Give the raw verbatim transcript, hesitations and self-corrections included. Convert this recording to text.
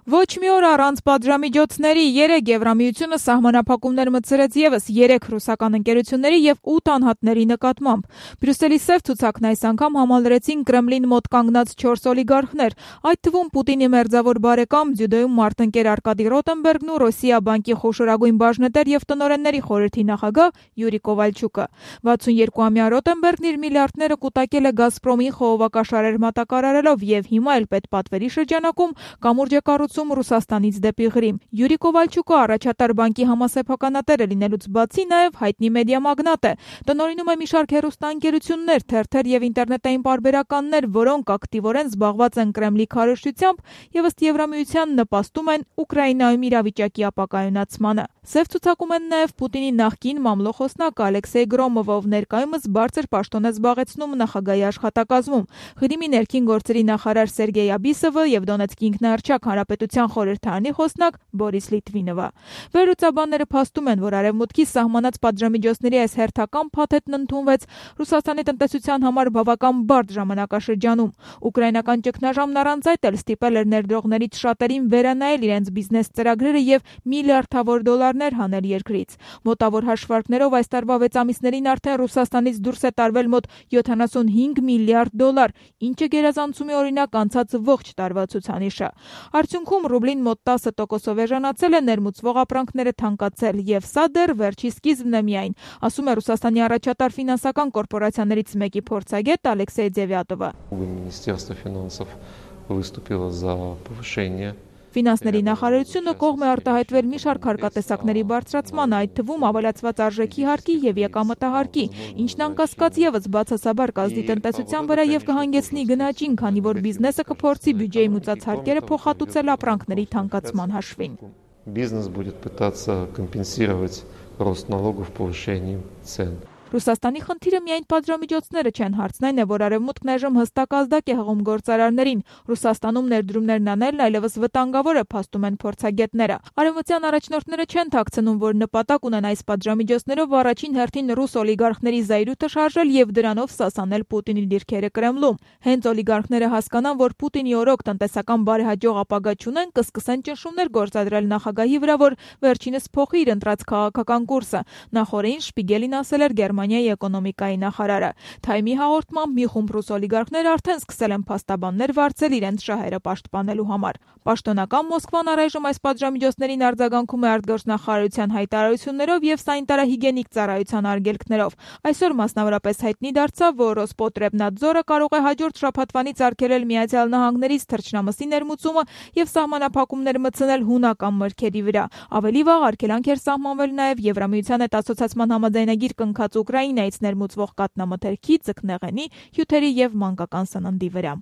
Ոչ մի օր առանց պատժամիջոցների երեք Եվրամիությունը սահմանափակումներ մտցրեց ևս երեք ռուսական ընկերությունների և ութ անհատների նկատմամբ։ Բրյուսելի սև ցուցակն այս անգամ համալրեցին Կրեմլին մոտ կանգնած չորս օլիգարխներ, այդ թվում Պուտինի մերձավոր բարեկամ, ձյուդոյում մարտնկեր Արկադի Ռոտենբերգն ու Ռոսիա բանկի խոշորագույն բաժնետեր և տնօրենների խորհրդի նախագահ Յուրի Կովալչուկը։ վաթսունյոթամյա Ռոտենբերգն իր միլիարդները կուտակել է Գազպրոմին խողովակաշարեր մատակարարելով և հիմա էլ պետպատվերի շրջանակում կամուրջ է կառուցում Ռուսաստանից դեպի Ղրիմ։ Յուրի Կովալչուկը առաջատար բանկի համասեփականատերը լինելուց բացի նաև հայտնի մեդիա մագնատ է։ Տնօրինում է մի շարք հեռուստաընկերություններ, թերթեր և ինտերնետային պարբերականներ, որոնք ակտիվորեն զբաղված են Կրեմլի քարոզչությամբ և ըստ Եվրամիության նպաստում են Ուկրաինայում իրավիճակի ապակայունացմանը։ Սև ցուցակում են նաև Պուտինի նախկին մամլոխոսնակ Ալեքսեյ Գրոմովը, ով ներկայումս բարձր պաշտոն է զբաղեցնում նախագահի աշխատակազմում, Ղրիմի ներքին գործերի նախարար Սերգեյ Աբիսովը և Դոնեցկի ինքնաառչյակ հանրապետության խորհրդարանի խոսնակ Բորիս Լիտվինովը։ Վերլուծաբանները փաստում են, որ Արևմուտքի սահմանած պատժամիջոցների այս հերթական փաթեթն ընդունվեց Ռուսաստանի տնտեսության համար բավական բարդ ժամանակաշրջանում։ Ուկրաինական ճգնաժամն առանց այդ էլ ստիպել էր ներդրողներից շատերին վերանայել իրենց բիզնես ծրագրերը և միլիարդավոր դոլարներ հանել երկրից։ Մոտավոր հաշվարկներով այս տարվա վեց ամիսներին արդեն Ռուսաստանից դուրս է տարվել մոտ յոթանասունհինգ միլիարդ դոլար, ինչը գերազանցում է օրինակ անցած ողջ տարվա ցուցանիշը։ Արդյունքում ռուբլին մոտ տասը տոկոսով էժանացել է, ներմուծվող ապրանքները թանկացել, եւ սա դեռ վերջի սկիզբն է միայն, ասում է Ռուսաստանի առաջատար ֆինանսական կորպորացիաներից մեկի փորձագետ Ալեքսեյ Դևյատովը։ Ֆինանսների նախարարությունը կողմ է արտահայտվել մի շարք հարկատեսակների բարձրացման, այդ թվում ավելացված արժեքի հարկի և եկամտահարկի, ինչն անկասկած ևս բացասաբար կազդի տնտեսության վրա և կհանգեցնի գնաճին, քանի որ բիզնեսը կփորձի բյուջեի մուծած հարկերը փոխհատուցել ապրանքների թանկացման հաշվին։ Бизнес будет пытаться компенсировать рост налогов повышением цен. Ռուսաստանի խնդիրը միայն պատժամիջոցները չեն, հարցն այն է, որ Արևմուտքն այժմ հստակ ազդակ է հղում գործարարներին։ Ռուսաստանում ներդրումներն անելն այլևս վտանգավոր է, փաստում են փորձագետները։ Արևմտյան առաջնորդները չեն թաքցնում, որ նպատակ ունեն այս պատժամիջոցներով առաջին հերթին ռուս օլիգարխների զայրույթը շարժել և դրանով սասանել Պուտինի դիրքերը Կրեմլում։ Հենց օլիգարխները հասկանան, որ Պուտինի օրոք տնտեսական բարեհաջող ապագա չունեն, կսկսեն ճնշումներ գործադրել նախագահի վրա, որ վերջինս փոխի իր ընտրած քաղաքական կուրսը։ Նախորդին Շպիգելին ասել էր Գերմանիայի էկոնոմիկայի նախարարը։ Թայմի հաղորդմամբ մի խումբ ռուս օլիգարխներ արդեն սկսել են փաստաբաններ վարձել իրենց շահերը պաշտպանելու համար։ Պաշտոնական Մոսկվան առայժմ այս պատժամիջոցներին արձագանքում է արտգործնախարարության հայտարարություններով և սանիտարահիգիենիկ ծառայության արգելքներով։ Այսօր մասնավորապես հայտնի դարձավ, որ Ռոսպոտրեբնադձորը կարող է հաջորդ շաբաթվանից արգելել Միացյալ Նահանգներից թռչնամսի ներմուծումը և սահմանափակումներ մտցնել հունական մրգերի վրա։ Ավելի վաղ արգելանք էր սահմանվել նաև Եվրամիության հետ ասոցացման համաձայնագիր կնքած Ուկրաինայից ներմուծվող կաթնամթերքի, ձկնեղենի, հյութերի և մանկական սննդի վրա։